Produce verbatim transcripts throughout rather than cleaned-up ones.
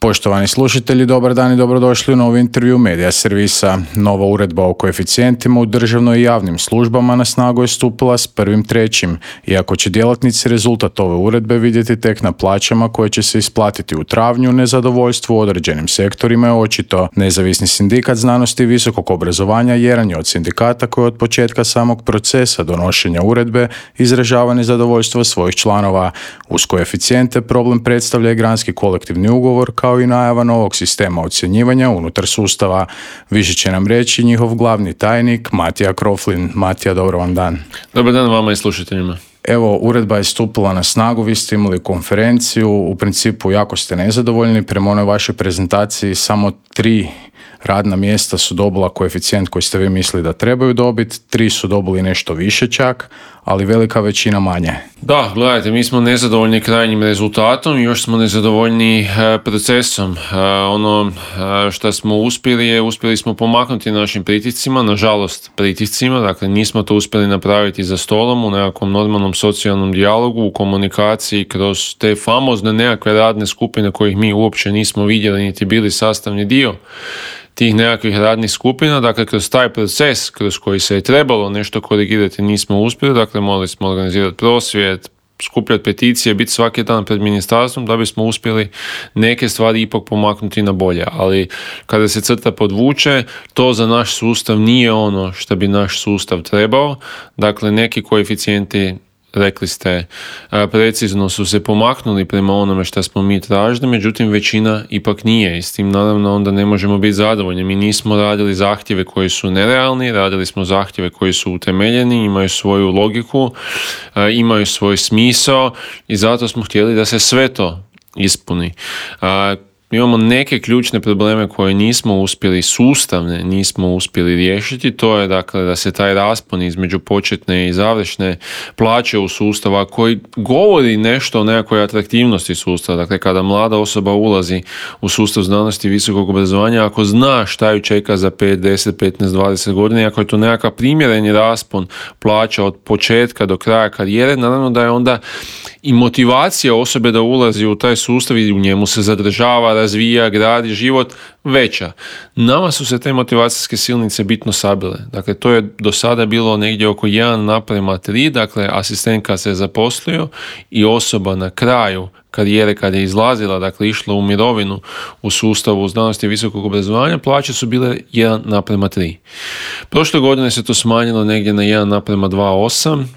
Poštovani slušatelji, dobar dan i dobrodošli u novi intervju Medija servisa. Nova uredba o koeficijentima u državnoj i javnim službama na snagu je stupila s prvim trećim, iako će djelatnici rezultat ove uredbe vidjeti tek na plaćama koje će se isplatiti u travnju, nezadovoljstvo u određenim sektorima je očito. Nezavisni sindikat znanosti i visokog obrazovanja jedan je od sindikata koji od početka samog procesa donošenja uredbe izražava nezadovoljstvo svojih članova. Uz koeficijente problem predstavlja i granski kolektivni ugovor kao i najava novog sistema ocjenjivanja unutar sustava. Više će nam reći njihov glavni tajnik Matija Kroflin. Matija, dobro vam dan. Dobar dan vama i slušateljima. Evo, uredba je stupila na snagu, vi ste imali konferenciju, u principu jako ste nezadovoljni, prema onoj vašoj prezentaciji samo tri radna mjesta su dobila koeficijent koji ste vi mislili da trebaju dobiti, tri su dobili nešto više čak, ali velika većina manje. Da, gledajte, mi smo nezadovoljni krajnjim rezultatom i još smo nezadovoljni e, procesom. E, ono e, što smo uspjeli je, uspjeli smo pomaknuti našim pritiscima, nažalost pritiscima, dakle nismo to uspjeli napraviti za stolom u nekakvom normalnom socijalnom dijalogu, u komunikaciji kroz te famozne nekakve radne skupine kojih mi uopće nismo vidjeli niti bili sastavni dio tih nekakvih radnih skupina, dakle kroz taj proces kroz koji se je trebalo nešto korigirati nismo uspjeli, dakle morali smo organizirati prosvjed, skupljati peticije, biti svaki dan pred ministarstvom da bismo uspjeli neke stvari ipak pomaknuti na bolje, ali kada se crta podvuče, to za naš sustav nije ono što bi naš sustav trebao, dakle neki koeficijenti, rekli ste, precizno su se pomaknuli prema onome što smo mi tražili, međutim većina ipak nije i s tim naravno onda ne možemo biti zadovoljni. Mi nismo radili zahtjeve koji su nerealni, radili smo zahtjeve koji su utemeljeni, imaju svoju logiku, imaju svoj smisao i zato smo htjeli da se sve to ispuni. Imamo neke ključne probleme koje nismo uspjeli, sustavne nismo uspjeli riješiti, to je dakle da se taj raspon između početne i završne plaće u sustava koji govori nešto o nekakvoj atraktivnosti sustava, dakle kada mlada osoba ulazi u sustav znanosti i visokog obrazovanja, ako zna šta ju čeka za pet, deset, petnaest, dvadeset godina, ako je to nekakav primjereni raspon plaća od početka do kraja karijere, naravno da je onda i motivacija osobe da ulazi u taj sustav i u njemu se zadržava, razvija, gradi život veća. Nama su se te motivacijske silnice bitno sabile. Dakle, to je do sada bilo negdje oko jedan naprema tri, dakle, asistentka se zaposlio i osoba na kraju karijere kad je izlazila, dakle, išla u mirovinu u sustavu znanosti i visokog obrazovanja, plaće su bile jedan naprema tri. Prošle godine se to smanjilo negdje na jedan naprema dva zarez osam,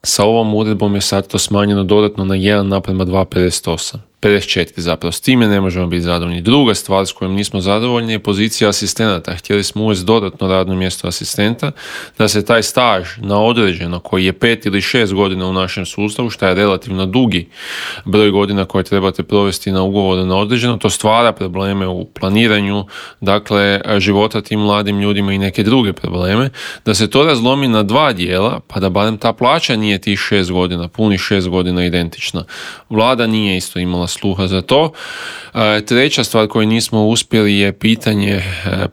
sa ovom uredbom je sad to smanjeno dodatno na jedan naprema dva zarez pedeset osam. pedeset četiri zapravo, s time ne možemo biti zadovoljni. Druga stvar s kojom nismo zadovoljni je pozicija asistenata. Htjeli smo uvesti dodatno radno mjesto asistenta, da se taj staž na određeno, koji je pet ili šest godina u našem sustavu, što je relativno dugi broj godina koje trebate provesti na ugovoru na određeno, to stvara probleme u planiranju, dakle, života tim mladim ljudima i neke druge probleme, da se to razlomi na dva dijela, pa da barem ta plaća nije tih šest godina, punih šest godina identična. Vlada nije isto imala sluha za to. Treća stvar koju nismo uspjeli je pitanje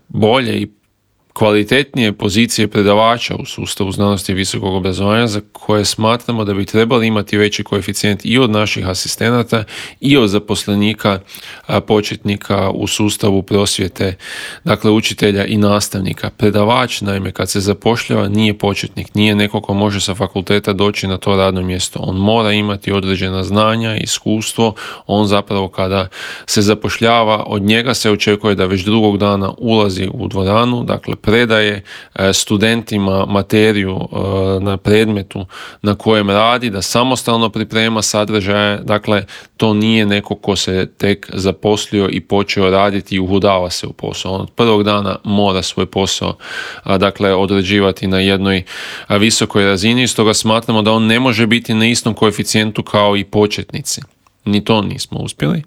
bolje i kvalitetnije pozicije predavača u sustavu znanosti i visokog obrazovanja za koje smatramo da bi trebali imati veći koeficijent i od naših asistenata i od zaposlenika početnika u sustavu prosvjete, dakle učitelja i nastavnika. Predavač, naime, kad se zapošljava nije početnik, nije neko ko može sa fakulteta doći na to radno mjesto. On mora imati određena znanja, iskustvo, on zapravo kada se zapošljava, od njega se očekuje da već drugog dana ulazi u dvoranu, dakle predaje studentima materiju na predmetu na kojem radi, da samostalno priprema sadržaje, dakle to nije neko ko se tek zaposlio i počeo raditi i uhodava se u posao. On od prvog dana mora svoj posao dakle odrađivati na jednoj visokoj razini, stoga smatramo da on ne može biti na istom koeficijentu kao i početnici. Ni to nismo uspjeli.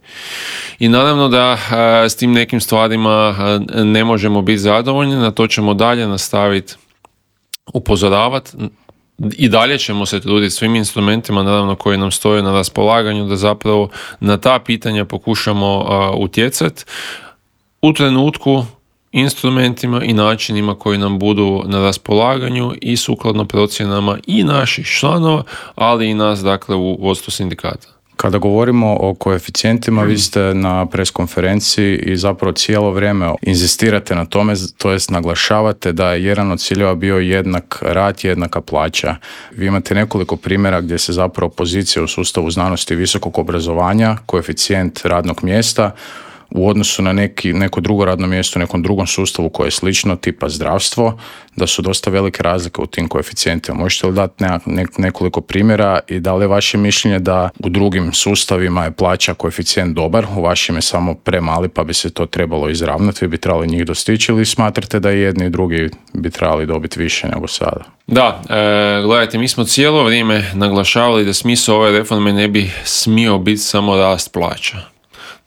I naravno da a, s tim nekim stvarima a, ne možemo biti zadovoljni, na to ćemo dalje nastaviti upozoravati. I dalje ćemo se truditi svim instrumentima, naravno, koji nam stoje na raspolaganju, da zapravo na ta pitanja pokušamo a, utjecati u trenutku, instrumentima i načinima koji nam budu na raspolaganju i sukladno procjenama i naših članova, ali i nas, dakle, u vodstvu sindikata. Kada govorimo o koeficijentima, vi ste na preskonferenciji i zapravo cijelo vrijeme inzistirate na tome, to jest naglašavate da je jedan od ciljeva bio jednak rad, jednaka plaća. Vi imate nekoliko primjera gdje se zapravo pozicija u sustavu znanosti i visokog obrazovanja, koeficijent radnog mjesta, u odnosu na neki, neko drugo radno mjesto u nekom drugom sustavu koje je slično, tipa zdravstvo, da su dosta velike razlike u tim koeficijentima. Možete li dati ne, nekoliko primjera i da li je vaše mišljenje da u drugim sustavima je plaća koeficijent dobar, u vašim je samo premali pa bi se to trebalo izravnati, vi bi trebali njih dostići, ili smatrate da jedni i drugi bi trebali dobiti više nego sada? Da, e, gledajte, mi smo cijelo vrijeme naglašavali da smisao ove reforme ne bi smio biti samo rast plaća.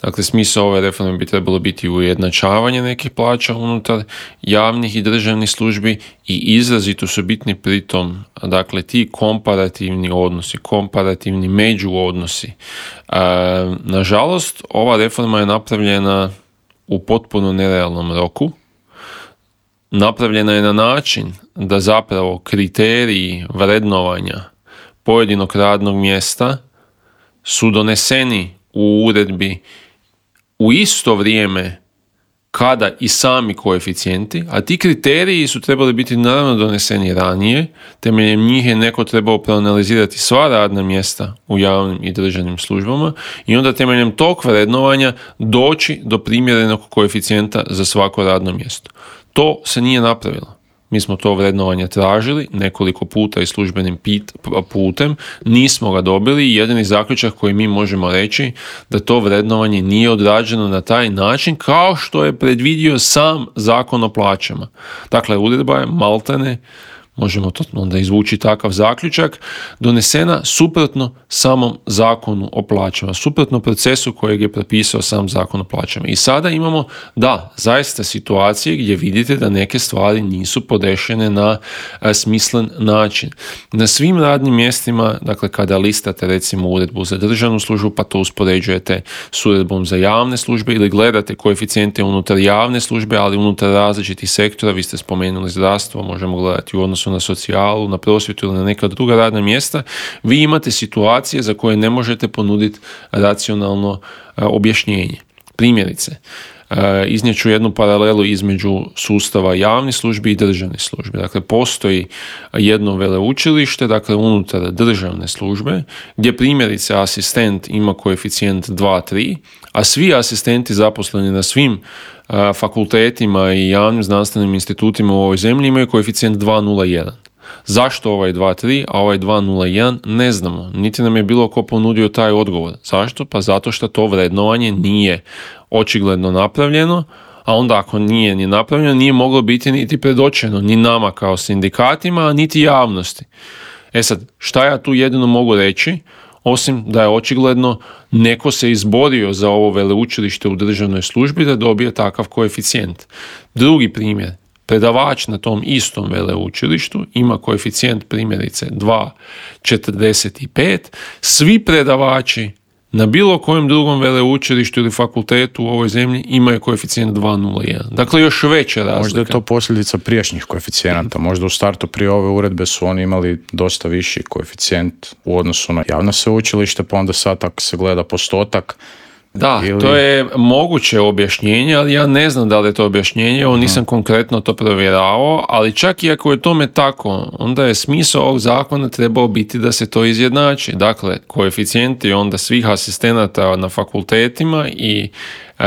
Dakle, smisao ove reforme bi trebalo biti ujednačavanje nekih plaća unutar javnih i državnih službi i izrazito su bitni pritom, dakle, ti komparativni odnosi, komparativni međuodnosi. E, nažalost, ova reforma je napravljena u potpuno nerealnom roku. Napravljena je na način da zapravo kriteriji vrednovanja pojedinog radnog mjesta su doneseni u uredbi u isto vrijeme kada i sami koeficijenti, a ti kriteriji su trebali biti naravno doneseni ranije, temeljem njih je neko trebao proanalizirati sva radna mjesta u javnim i državnim službama i onda temeljem tog vrednovanja doći do primjerenog koeficijenta za svako radno mjesto. To se nije napravilo. Mi smo to vrednovanje tražili nekoliko puta i službenim pit, putem, nismo ga dobili i jedini zaključak koji mi možemo reći da to vrednovanje nije odrađeno na taj način kao što je predvidio sam Zakon o plaćama. Dakle, uredba je maltene, možemo to onda izvući takav zaključak, donesena suprotno samom Zakonu o plaćama, suprotno procesu kojeg je propisao sam Zakon o plaćama. I sada imamo, da, zaista situacije gdje vidite da neke stvari nisu podešene na a, smislen način. Na svim radnim mjestima, dakle, kada listate recimo uredbu za državnu službu, pa to uspoređujete s uredbom za javne službe ili gledate koeficijente unutar javne službe, ali unutar različitih sektora, vi ste spomenuli zdravstvo, možemo gledati u odnosu na socijalu, na prosvjetu ili na neka druga radna mjesta, vi imate situacije za koje ne možete ponuditi racionalno a, objašnjenje. Primjerice, a, iznijet ću jednu paralelu između sustava javnih službi i državnih službi. Dakle, postoji jedno veleučilište, dakle, unutar državne službe, gdje primjerice asistent ima koeficijent dva tri, a svi asistenti zaposleni na svim a, fakultetima i javnim znanstvenim institutima u ovoj zemlji imaju koeficijent dva nula jedan. Zašto ovaj dva tri, a ovaj dva nula jedan, ne znamo. Niti nam je bilo ko ponudio taj odgovor. Zašto? Pa zato što to vrednovanje nije očigledno napravljeno, a onda ako nije ni napravljeno, nije moglo biti niti predočeno ni nama kao sindikatima, niti javnosti. E sad, šta ja tu jedino mogu reći? Osim da je očigledno neko se izborio za ovo veleučilište u državnoj službi da dobije takav koeficijent. Drugi primjer, predavač na tom istom veleučilištu ima koeficijent primjerice dva četrdeset pet, svi predavači na bilo kojem drugom veleučilištu ili fakultetu u ovoj zemlji imaju koeficijent dva nula jedan. Dakle, još veća razlika. Možda je to posljedica prijašnjih koeficijenata. Možda u startu prije ove uredbe su oni imali dosta viši koeficijent u odnosu na javno sveučilište, pa onda sad ako se gleda postotak. Da, ili... to je moguće objašnjenje, ali ja ne znam da li je to objašnjenje, ovo nisam hmm. konkretno to provjeravao, ali čak i ako je tome tako, onda je smisao ovog zakona trebao biti da se to izjednači. Dakle, koeficijenti onda svih asistenata na fakultetima i e,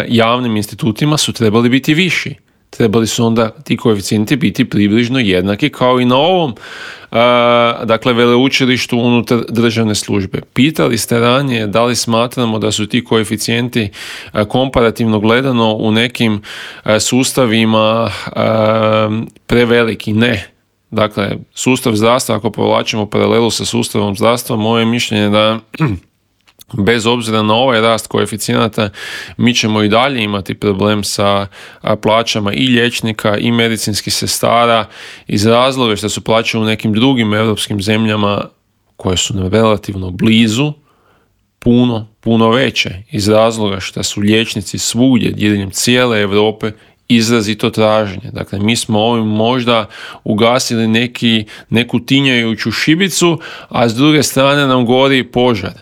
javnim institutima su trebali biti viši. Trebali su onda ti koeficijenti biti približno jednaki kao i na ovom uh, dakle veleučilištu unutar državne službe. Pitali ste ranije da li smatramo da su ti koeficijenti uh, komparativno gledano u nekim uh, sustavima uh, preveliki. Ne. Dakle, sustav zdravstva, ako povlačimo paralelu sa sustavom zdravstva, moje mišljenje da bez obzira na ovaj rast koeficijenata, mi ćemo i dalje imati problem sa plaćama i liječnika i medicinskih sestara iz razloga što su plaće u nekim drugim europskim zemljama koje su nam relativno blizu puno, puno veće. Iz razloga što su liječnici svugdje diljem cijele Europe izrazito traženje. Dakle, mi smo ovim možda ugasili neki, neku tinjajuću šibicu, a s druge strane nam gori požar.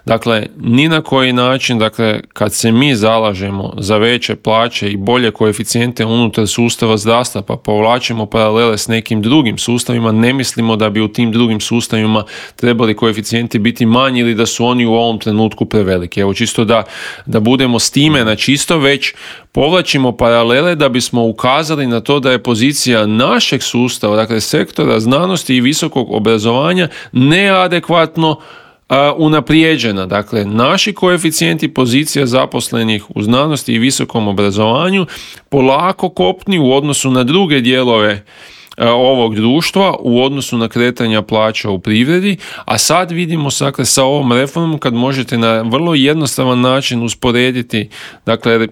Dakle, ni na koji način, dakle, kad se mi zalažemo za veće plaće i bolje koeficijente unutar sustava zdravstva, pa povlačimo paralele s nekim drugim sustavima, ne mislimo da bi u tim drugim sustavima trebali koeficijenti biti manji ili da su oni u ovom trenutku preveliki. Evo, čisto da, da budemo s time na čisto, već povlačimo paralele da bismo ukazali na to da je pozicija našeg sustava, dakle sektora znanosti i visokog obrazovanja, neadekvatno a, unaprijeđena. Dakle, naši koeficijenti pozicija zaposlenih u znanosti i visokom obrazovanju polako kopni u odnosu na druge dijelove ovog društva, u odnosu na kretanja plaća u privredi, a sad vidimo dakle, sa ovom reformom kad možete na vrlo jednostavan način usporediti, dakle,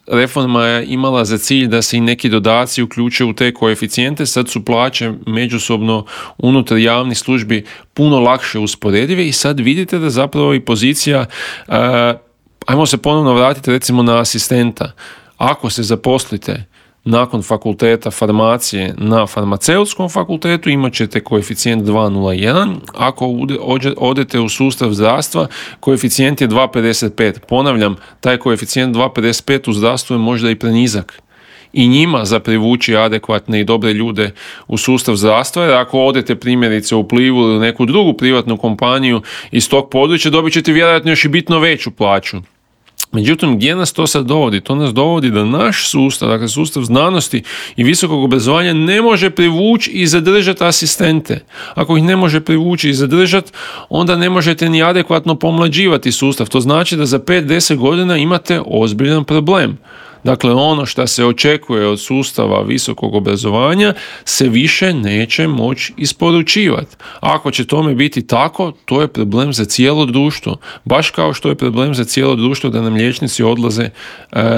reforma je imala za cilj da se i neki dodaci uključe u te koeficijente, sad su plaće međusobno unutar javnih službi puno lakše usporedive i sad vidite da zapravo i pozicija, uh, ajmo se ponovno vratiti recimo na asistenta. Ako se zaposlite nakon fakulteta farmacije na farmaceutskom fakultetu imat ćete koeficijent dva zarez nula jedan, ako odete u sustav zdravstva koeficijent je dva zarez pedeset pet. Ponavljam, taj koeficijent dva zarez pedeset pet u zdravstvu je možda i prenizak. I njima za privući adekvatne i dobre ljude u sustav zdravstva, jer ako odete primjerice u Plivu ili neku drugu privatnu kompaniju iz tog područja, dobit ćete vjerojatno još i bitno veću plaću. Međutim, gdje nas to sad dovodi? To nas dovodi da naš sustav, dakle sustav znanosti i visokog obrazovanja ne može privući i zadržati asistente. Ako ih ne može privući i zadržati, onda ne možete ni adekvatno pomlađivati sustav. To znači da za pet do deset godina imate ozbiljan problem. Dakle, ono što se očekuje od sustava visokog obrazovanja se više neće moći isporučivati. Ako će tome biti tako, to je problem za cijelo društvo. Baš kao što je problem za cijelo društvo da nam liječnici odlaze e,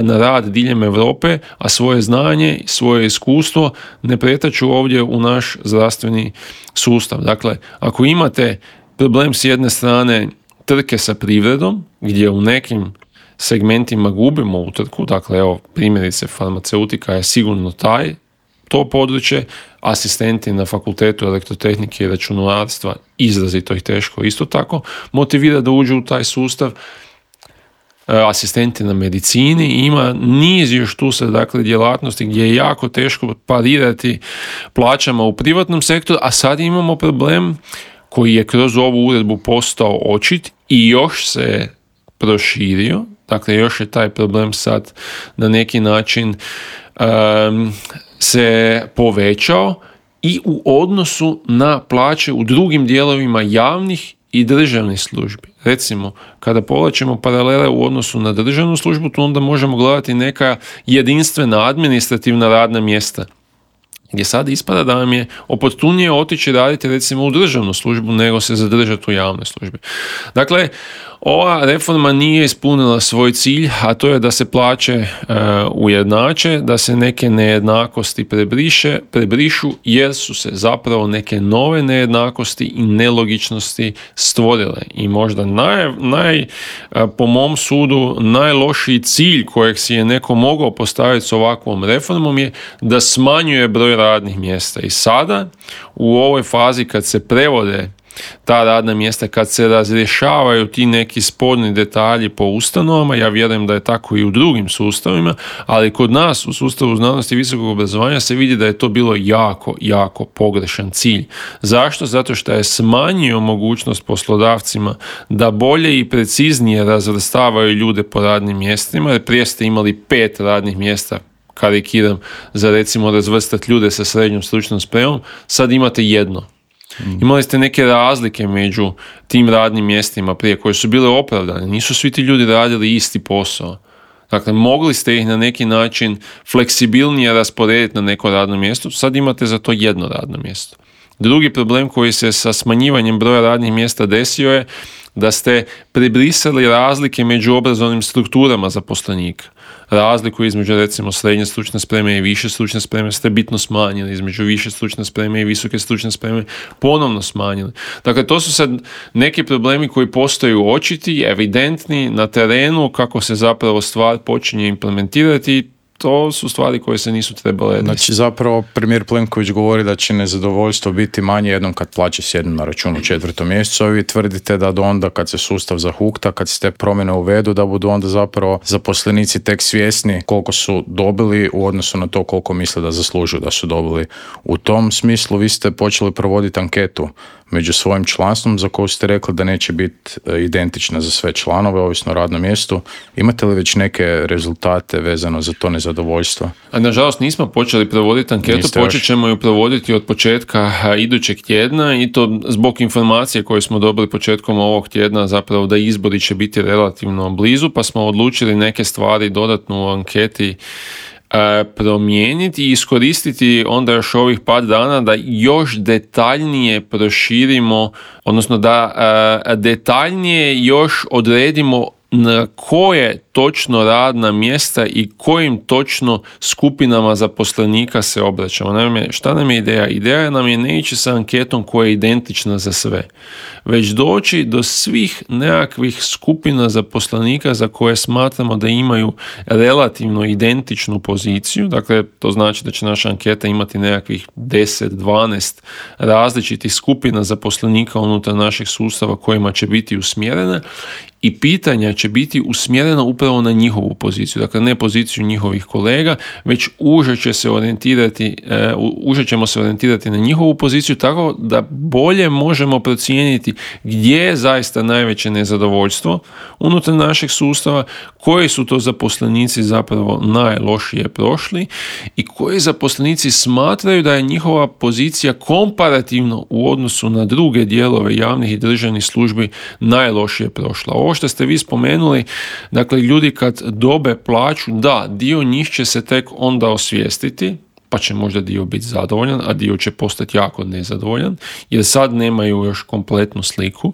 na rad diljem Europe, a svoje znanje i svoje iskustvo ne pretaču ovdje u naš zdravstveni sustav. Dakle, ako imate problem s jedne strane trke sa privredom, gdje u nekim segmentima gubimo utrku, dakle evo primjerice farmaceutika je sigurno taj, to područje, asistenti na fakultetu elektrotehnike i računarstva izrazito ih teško isto tako motivira da uđu u taj sustav, asistenti na medicini, ima niz još tu sad dakle djelatnosti gdje je jako teško parirati plaćama u privatnom sektoru, a sad imamo problem koji je kroz ovu uredbu postao očit i još se proširio. Dakle, još je taj problem sad na neki način um, se povećao i u odnosu na plaće u drugim dijelovima javnih i državnih službi. Recimo, kada povlačimo paralele u odnosu na državnu službu, tu onda možemo gledati neka jedinstvena administrativna radna mjesta, gdje sad ispada da vam je oportunije otići raditi recimo u državnu službu nego se zadržati u javnoj službi. Dakle, ova reforma nije ispunila svoj cilj, a to je da se plaće e, ujednače, da se neke nejednakosti prebriše, prebrišu, jer su se zapravo neke nove nejednakosti i nelogičnosti stvorile. I možda naj, naj, po mom sudu najlošiji cilj kojeg si je neko mogao postaviti s ovakvom reformom je da smanjuje broj radnih mjesta. I sada u ovoj fazi kad se prevode ta radna mjesta, kad se razrješavaju ti neki sporni detalji po ustanovama, ja vjerujem da je tako i u drugim sustavima, ali kod nas u sustavu znanosti i visokog obrazovanja se vidi da je to bilo jako, jako pogrešan cilj. Zašto? Zato što je smanjio mogućnost poslodavcima da bolje i preciznije razvrstavaju ljude po radnim mjestima, jer prije ste imali pet radnih mjesta, karikiram, za recimo razvrstati ljude sa srednjom stručnom spremom, sad imate jedno. Imali ste neke razlike među tim radnim mjestima prije koje su bile opravdane. Nisu svi ti ljudi radili isti posao. Dakle, mogli ste ih na neki način fleksibilnije rasporediti na neko radno mjesto, sad imate za to jedno radno mjesto. Drugi problem koji se sa smanjivanjem broja radnih mjesta desio je da ste prebrisali razlike među obrazovnim strukturama zaposlenika. Razliku između recimo srednje stručne spreme i više stručne spreme ste bitno smanjili, između više stručne spreme i visoke stručne spreme ponovno smanjili. Dakle, to su sad neki problemi koji postaju očiti, evidentni na terenu kako se zapravo stvar počinje implementirati. to su stvari koje se nisu trebale desiti. Znači zapravo premijer Plenković govori da će nezadovoljstvo biti manje jednom kad plaće sjednu na računu u četvrtom mjesecu, a vi tvrdite da do onda kad se sustav zahukta, kad se te promjene uvedu, da budu onda zapravo zaposlenici tek svjesni koliko su dobili u odnosu na to koliko misle da zaslužuju da su dobili. U tom smislu vi ste počeli provoditi anketu među svojim članstvom za koju ste rekli da neće biti identična za sve članove, ovisno o radnom mjestu. Imate li već neke rezultate vezano za to nezadovoljstvo? A nažalost nismo počeli provoditi anketu, Niste počet još. ćemo ju provoditi od početka idućeg tjedna i to zbog informacije koje smo dobili početkom ovog tjedna, zapravo da izbori će biti relativno blizu, pa smo odlučili neke stvari dodatno u anketi promijeniti i iskoristiti onda još ovih par dana da još detaljnije proširimo, odnosno da detaljnije još odredimo na koje točno radna mjesta i kojim točno skupinama zaposlenika se obraćamo. Naime, šta nam je ideja? Ideja nam je ne ići sa anketom koja je identična za sve, već doći do svih nekakvih skupina zaposlenika za koje smatramo da imaju relativno identičnu poziciju. Dakle, to znači da će naša anketa imati nekakvih deset do dvanaest različitih skupina zaposlenika unutar našeg sustava kojima će biti usmjerena i pitanja će biti usmjerena upravo na njihovu poziciju, dakle ne poziciju njihovih kolega, već uže će se orijentirati, uže ćemo se orijentirati na njihovu poziciju tako da bolje možemo procijeniti gdje je zaista najveće nezadovoljstvo unutar našeg sustava, koji su to zaposlenici zapravo najlošije prošli i koji zaposlenici smatraju da je njihova pozicija komparativno u odnosu na druge dijelove javnih i državnih službi najlošije prošla. Ovo što ste vi spomenuli, dakle ljudi kad dobe plaću, da, dio njih će se tek onda osvijestiti, pa će možda dio biti zadovoljan, a dio će postati jako nezadovoljan, jer sad nemaju još kompletnu sliku.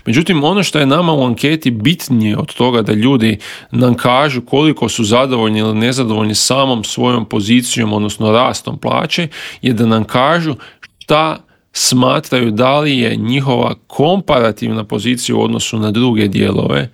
Međutim, ono što je nama u anketi bitnije od toga da ljudi nam kažu koliko su zadovoljni ili nezadovoljni samom svojom pozicijom, odnosno rastom plaće, je da nam kažu šta smatraju da li je njihova komparativna pozicija u odnosu na druge dijelove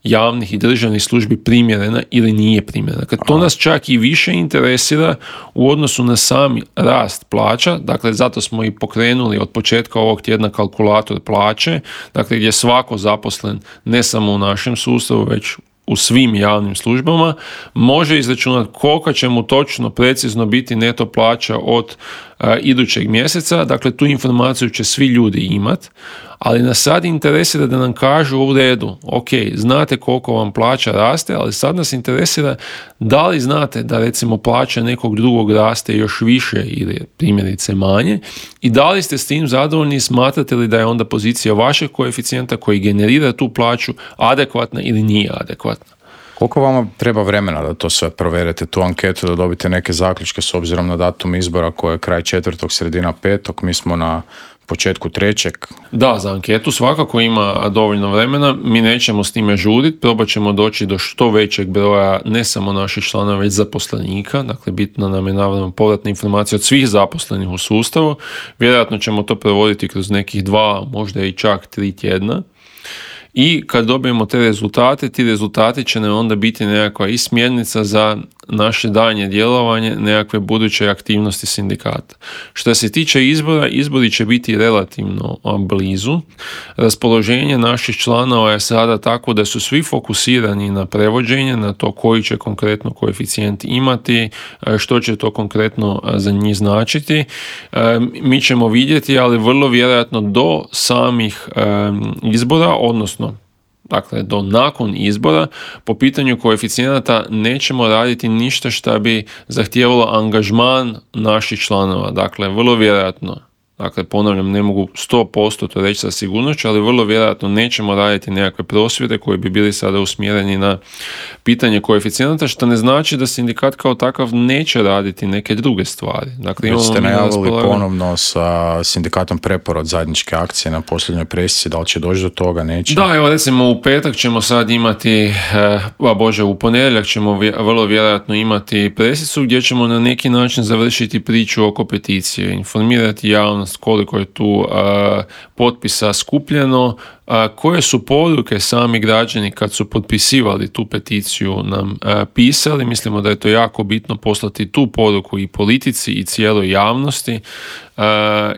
javnih i državnih službi primjerena ili nije primjerena. Kad to nas čak i više interesira u odnosu na sami rast plaća, dakle zato smo i pokrenuli od početka ovog tjedna kalkulator plaće, dakle gdje svako zaposlen ne samo u našem sustavu, već u svim javnim službama, može izračunati koliko će mu točno, precizno biti neto plaća od a, idućeg mjeseca. Dakle, tu informaciju će svi ljudi imati, ali nas sad interesira da nam kažu u redu, ok, znate koliko vam plaća raste, ali sad nas interesira da li znate da recimo plaća nekog drugog raste još više ili primjerice manje i da li ste s tim zadovoljni i smatrate li da je onda pozicija vašeg koeficijenta koji generira tu plaću adekvatna ili nije adekvatna. Koliko vama treba vremena da to sve proverite, tu anketu, da dobite neke zaključke s obzirom na datum izbora koje je kraj četvrtog, sredina petog, mi smo na početku trećeg? Da, za anketu svakako ima dovoljno vremena, mi nećemo s time žuriti, probat ćemo doći do što većeg broja ne samo naših članova, već zaposlenika, dakle bitno nam je naravno povratna informacija od svih zaposlenih u sustavu, vjerojatno ćemo to provoditi kroz nekih dva, možda i čak tri tjedna. I kad dobijemo te rezultate, ti rezultati će nam onda biti nekakva i smjernica za naše daljnje djelovanje, nekakve buduće aktivnosti sindikata. Što se tiče izbora, izbori će biti relativno blizu. Raspoloženje naših članova je sada tako da su svi fokusirani na prevođenje, na to koji će konkretno koeficijent imati, što će to konkretno za njih značiti. Mi ćemo vidjeti, ali vrlo vjerojatno do samih izbora, odnosno dakle do nakon izbora, po pitanju koeficijenata nećemo raditi ništa što bi zahtijevalo angažman naših članova. Dakle, vrlo vjerojatno, dakle ponavljam, ne mogu sto posto to reći sa sigurnošću, ali vrlo vjerojatno nećemo raditi nekakve prosvjede koji bi bili sada usmjereni na pitanje koeficijenata, što ne znači da sindikat kao takav neće raditi neke druge stvari. Dakle, Već ste najavili raspolagan... ponovno sa sindikatom Preporod zajedničke akcije na posljednjoj presici, da li će doći do toga, neće? Da, evo recimo u petak ćemo sad imati, a bože, u ponedjeljak ćemo vrlo vjerojatno imati presicu gdje ćemo na neki način završiti priču oko peticije, informirati javnost javnost koliko je tu uh, potpisa skupljeno, uh, koje su poruke sami građani kad su potpisivali tu peticiju nam uh, pisali. Mislimo da je to jako bitno poslati tu poruku i politici i cijeloj javnosti, uh,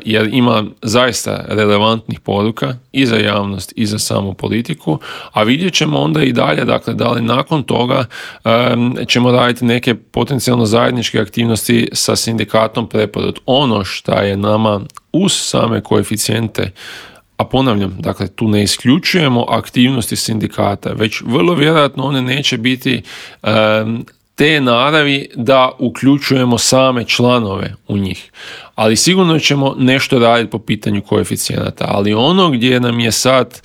jer ima zaista relevantnih poruka i za javnost i za samu politiku, a vidjet ćemo onda i dalje, dakle, da li nakon toga um, ćemo raditi neke potencijalno zajedničke aktivnosti sa sindikatom Preporod. Ono što je nama uz same koeficijente, a ponavljam, dakle, tu ne isključujemo aktivnosti sindikata, već vrlo vjerojatno one neće biti um, te naravi da uključujemo same članove u njih. Ali sigurno ćemo nešto raditi po pitanju koeficijenata. Ali ono gdje nam je sad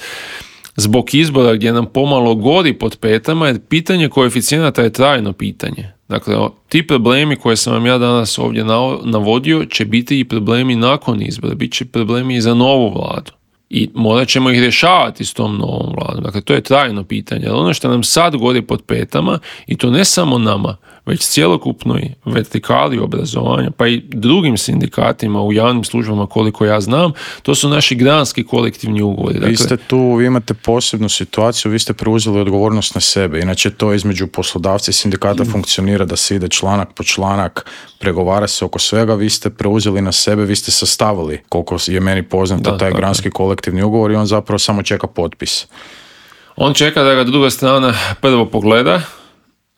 zbog izbora, gdje nam pomalo gori pod petama, jer pitanje koeficijenata je trajno pitanje. Dakle, ti problemi koje sam vam ja danas ovdje navodio će biti i problemi nakon izbora, bit će problemi i za novu vladu. I morat ćemo ih rješavati s tom novom vladom. Dakle, to je trajno pitanje. Ali ono što nam sad gori pod petama, i to ne samo nama, već cjelokupnoj vertikali obrazovanja, pa i drugim sindikatima u javnim službama, koliko ja znam, to su naši granski kolektivni ugovori. Dakle, vi ste tu, vi imate posebnu situaciju, vi ste preuzeli odgovornost na sebe. Inače, to između poslodavca i sindikata mm. funkcionira da se ide članak po članak, pregovara se oko svega, vi ste preuzeli na sebe, vi ste sastavili, koliko je meni poznato, da, taj tako. Granski kolektivni ugovor i on zapravo samo čeka potpis. On čeka da ga druga strana prvo pogleda.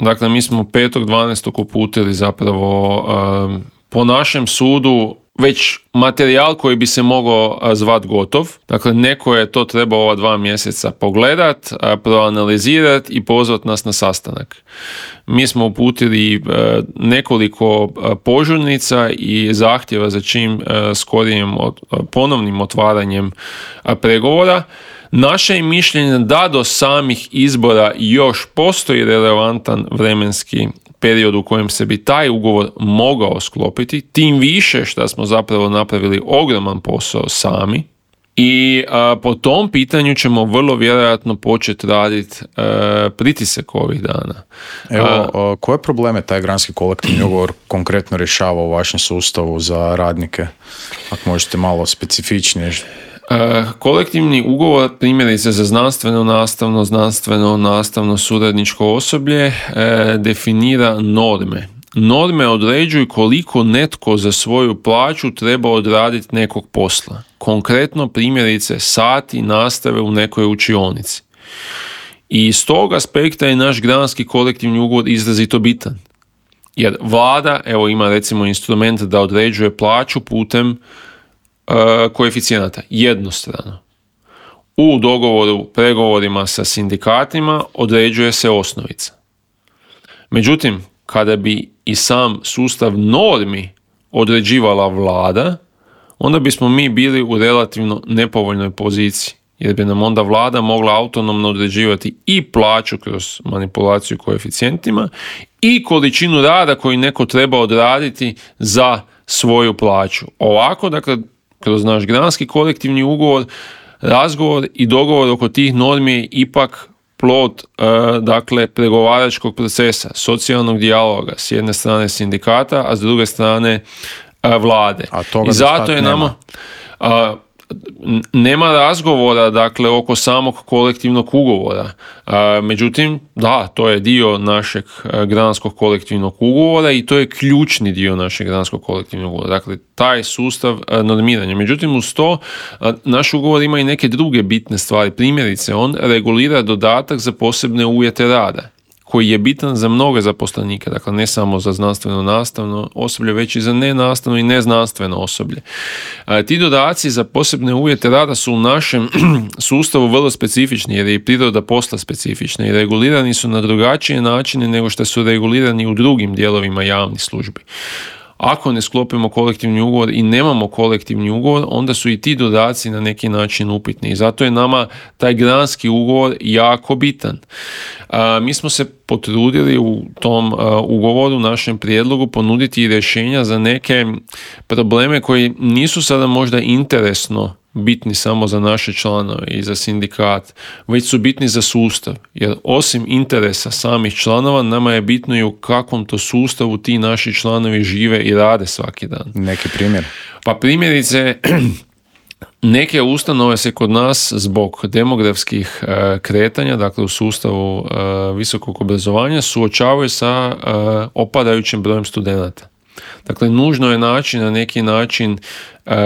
Dakle, mi smo petog dvanaestog uputili zapravo um, po našem sudu već materijal koji bi se mogao zvat gotov. Dakle, neko je to trebao ova dva mjeseca pogledat, proanalizirat i pozvat nas na sastanak. Mi smo uputili nekoliko požurnica i zahtjeva za čim skorijim ponovnim otvaranjem pregovora. Naše je mišljenje da do samih izbora još postoji relevantan vremenski period u kojem se bi taj ugovor mogao sklopiti, tim više što smo zapravo napravili ogroman posao sami i a, po tom pitanju ćemo vrlo vjerojatno početi raditi pritisak ovih dana. Evo, a, koje probleme taj granski kolektivni ugovor konkretno rješava u vašem sustavu za radnike? Ako možete malo specifičnije. Kolektivni ugovor, primjerice za znanstveno, nastavno, znanstveno, nastavno, suradničko osoblje, definira norme. Norme određuju koliko netko za svoju plaću treba odraditi nekog posla. Konkretno, primjerice, sati nastave u nekoj učionici. I iz tog aspekta je naš granski kolektivni ugovor izrazito bitan. Jer vlada, evo, ima recimo instrument da određuje plaću putem koeficijenata jednostrano. U dogovoru, pregovorima sa sindikatima određuje se osnovica. Međutim, kada bi i sam sustav normi određivala vlada, onda bismo mi bili u relativno nepovoljnoj poziciji, jer bi nam onda vlada mogla autonomno određivati i plaću kroz manipulaciju koeficijentima i količinu rada koju neko treba odraditi za svoju plaću. Ovako, dakle, kroz naš granski kolektivni ugovor, razgovor i dogovor oko tih normi je ipak plod e, dakle, pregovaračkog procesa, socijalnog dijaloga, s jedne strane sindikata, a s druge strane e, vlade. A toga I zato je nama a, nema razgovora, dakle, oko samog kolektivnog ugovora. A, međutim, da, to je dio našeg granskog kolektivnog ugovora i to je ključni dio našeg granskog kolektivnog ugovora. Dakle, taj sustav a, normiranja. Međutim, uz to a, naš ugovor ima i neke druge bitne stvari. Primjerice, on regulira dodatak za posebne uvjete rada, koji je bitan za mnoge zaposlenike, dakle ne samo za znanstveno-nastavno osoblje, već i za nenastavno i neznanstveno osoblje. A, ti dodaci za posebne uvjete rada su u našem sustavu vrlo specifični, jer je i priroda posla specifična i regulirani su na drugačije načine nego što su regulirani u drugim dijelovima javnih službi. Ako ne sklopimo kolektivni ugovor i nemamo kolektivni ugovor, onda su i ti dodaci na neki način upitni. I zato je nama taj granski ugovor jako bitan. A, mi smo se potrudili u tom a, ugovoru, našem prijedlogu, ponuditi rješenja za neke probleme koji nisu sada možda interesno bitni samo za naše članove i za sindikat, već su bitni za sustav. Jer osim interesa samih članova, nama je bitno i u kakvom to sustavu ti naši članovi žive i rade svaki dan. Neki primjer? Pa primjerice, neke ustanove se kod nas zbog demografskih e, kretanja, dakle u sustavu e, visokog obrazovanja, suočavaju sa e, opadajućim brojem studenata. Dakle, nužno je naći na neki način e,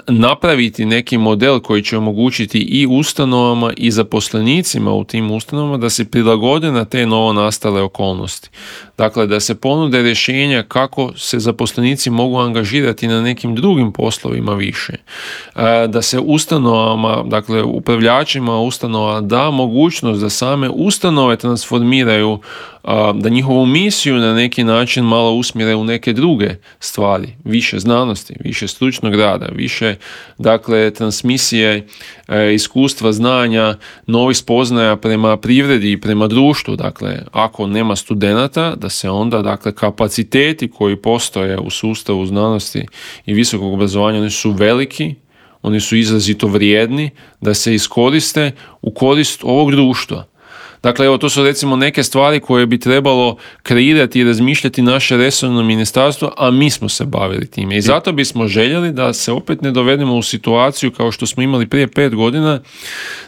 napraviti neki model koji će omogućiti i ustanovama i zaposlenicima u tim ustanovama da se prilagode na te novo nastale okolnosti. Dakle, da se ponude rješenja kako se zaposlenici mogu angažirati na nekim drugim poslovima više. E, da se ustanovama, dakle upravljačima ustanova da mogućnost da same ustanove transformiraju, da njihovu misiju na neki način malo usmjere u neke druge stvari, više znanosti, više stručnog rada, više dakle transmisije e, iskustva, znanja, novih spoznaja prema privredi i prema društvu. Dakle, ako nema studenata, da se onda dakle kapaciteti koji postoje u sustavu znanosti i visokog obrazovanja, oni su veliki, oni su izrazito vrijedni, da se iskoriste u korist ovog društva. Dakle, evo, to su recimo neke stvari koje bi trebalo kreirati i razmišljati naše resorno ministarstvo, a mi smo se bavili time. I zato bismo željeli da se opet ne dovedemo u situaciju kao što smo imali prije pet godina,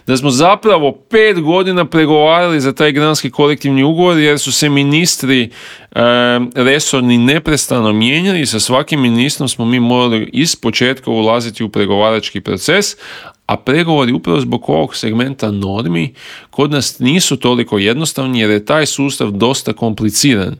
da smo zapravo pet godina pregovarali za taj granski kolektivni ugovor, jer su se ministri e, resorni neprestano mijenjali i sa svakim ministrom smo mi morali iz početka ulaziti u pregovarački proces, a pregovori upravo zbog ovog segmenta normi kod nas nisu toliko jednostavni jer je taj sustav dosta kompliciran.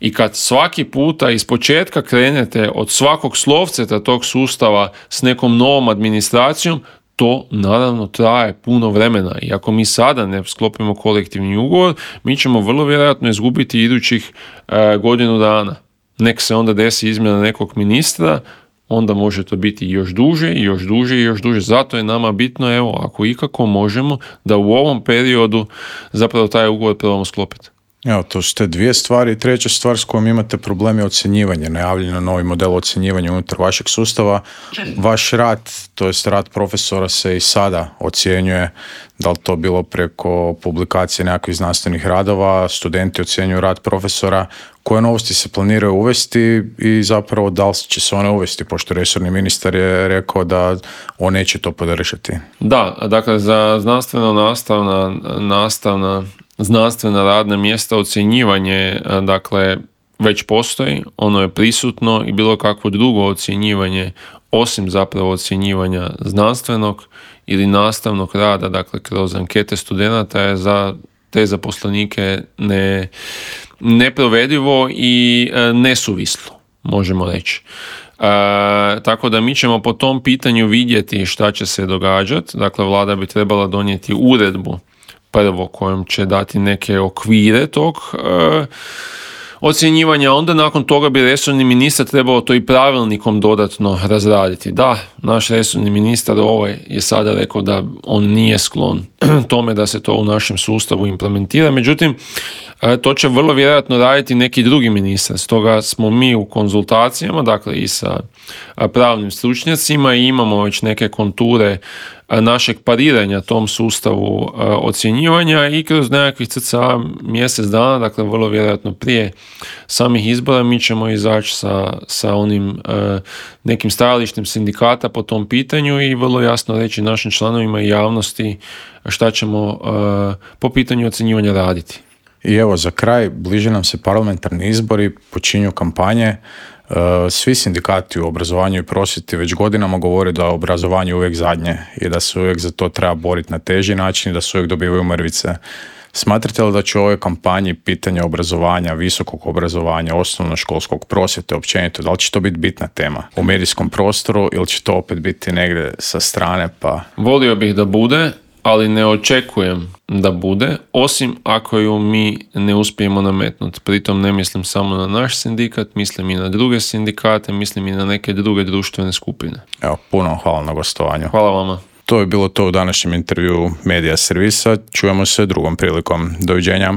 I kad svaki puta iz početka krenete od svakog slovceta tog sustava s nekom novom administracijom, to naravno traje puno vremena. I ako mi sada ne sklopimo kolektivni ugovor, mi ćemo vrlo vjerojatno izgubiti idućih e, godinu dana. Nek se onda desi izmjena nekog ministra, onda može to biti još duže i još duže i još duže. Zato je nama bitno, evo, ako ikako možemo, da u ovom periodu zapravo taj ugovor probamo sklopiti. Evo, to su te dvije stvari. Treća stvar s kojom imate problem je ocjenjivanje, najavljeno novi model ocjenjivanja unutar vašeg sustava. Vaš rad, to jest rad profesora se i sada ocjenjuje, da li to bilo preko publikacije nekakvih znanstvenih radova, studenti ocjenjuju rad profesora. Koje novosti se planiraju uvesti i zapravo da li će se one uvesti, pošto resorni ministar je rekao da on neće to podržati? Da, dakle za znanstveno nastavna, nastavna znanstvena radna mjesta ocjenjivanje, dakle, već postoji, ono je prisutno i bilo kakvo drugo ocjenjivanje, osim zapravo ocjenjivanja znanstvenog ili nastavnog rada, dakle, kroz ankete studenata je za te zaposlenike ne, neprovedivo i nesuvislo, možemo reći. E, tako da mi ćemo po tom pitanju vidjeti šta će se događati. Dakle, vlada bi trebala donijeti uredbu prvo kojom će dati neke okvire tog e, ocjenjivanja, onda nakon toga bi resorni ministar trebao to i pravilnikom dodatno razraditi. Da, naš resorni ministar ovaj je sada rekao da on nije sklon tome da se to u našem sustavu implementira, međutim to će vrlo vjerojatno raditi neki drugi ministar. Stoga smo mi u konzultacijama, dakle i sa pravnim stručnjacima, i imamo već neke konture našeg pariranja tom sustavu ocjenjivanja i kroz nekakvih cca mjesec dana, dakle vrlo vjerojatno prije samih izbora, mi ćemo izaći sa, sa onim nekim stajalištem sindikata po tom pitanju i vrlo jasno reći našim članovima i javnosti šta ćemo po pitanju ocjenjivanja raditi. I evo, za kraj, bliže nam se parlamentarni izbori, počinju kampanje. Svi sindikati u obrazovanju i prosvjeti već godinama govore da je obrazovanje uvijek zadnje i da se uvijek za to treba boriti na teži način i da se uvijek dobivaju mrvice. Smatrate li da će u ovoj kampanji pitanje obrazovanja, visokog obrazovanja, osnovnoškolskog, prosvjete općenito, da li će to biti bitna tema u medijskom prostoru ili će to opet biti negdje sa strane? Pa volio bih da bude, ali ne očekujem da bude, osim ako ju mi ne uspijemo nametnuti. Pritom ne mislim samo na naš sindikat, mislim i na druge sindikate, mislim i na neke druge društvene skupine. Evo, puno hvala na gostovanju. Hvala vama. To je bilo to u današnjem intervju Medija servisa. Čujemo se drugom prilikom. Doviđenja.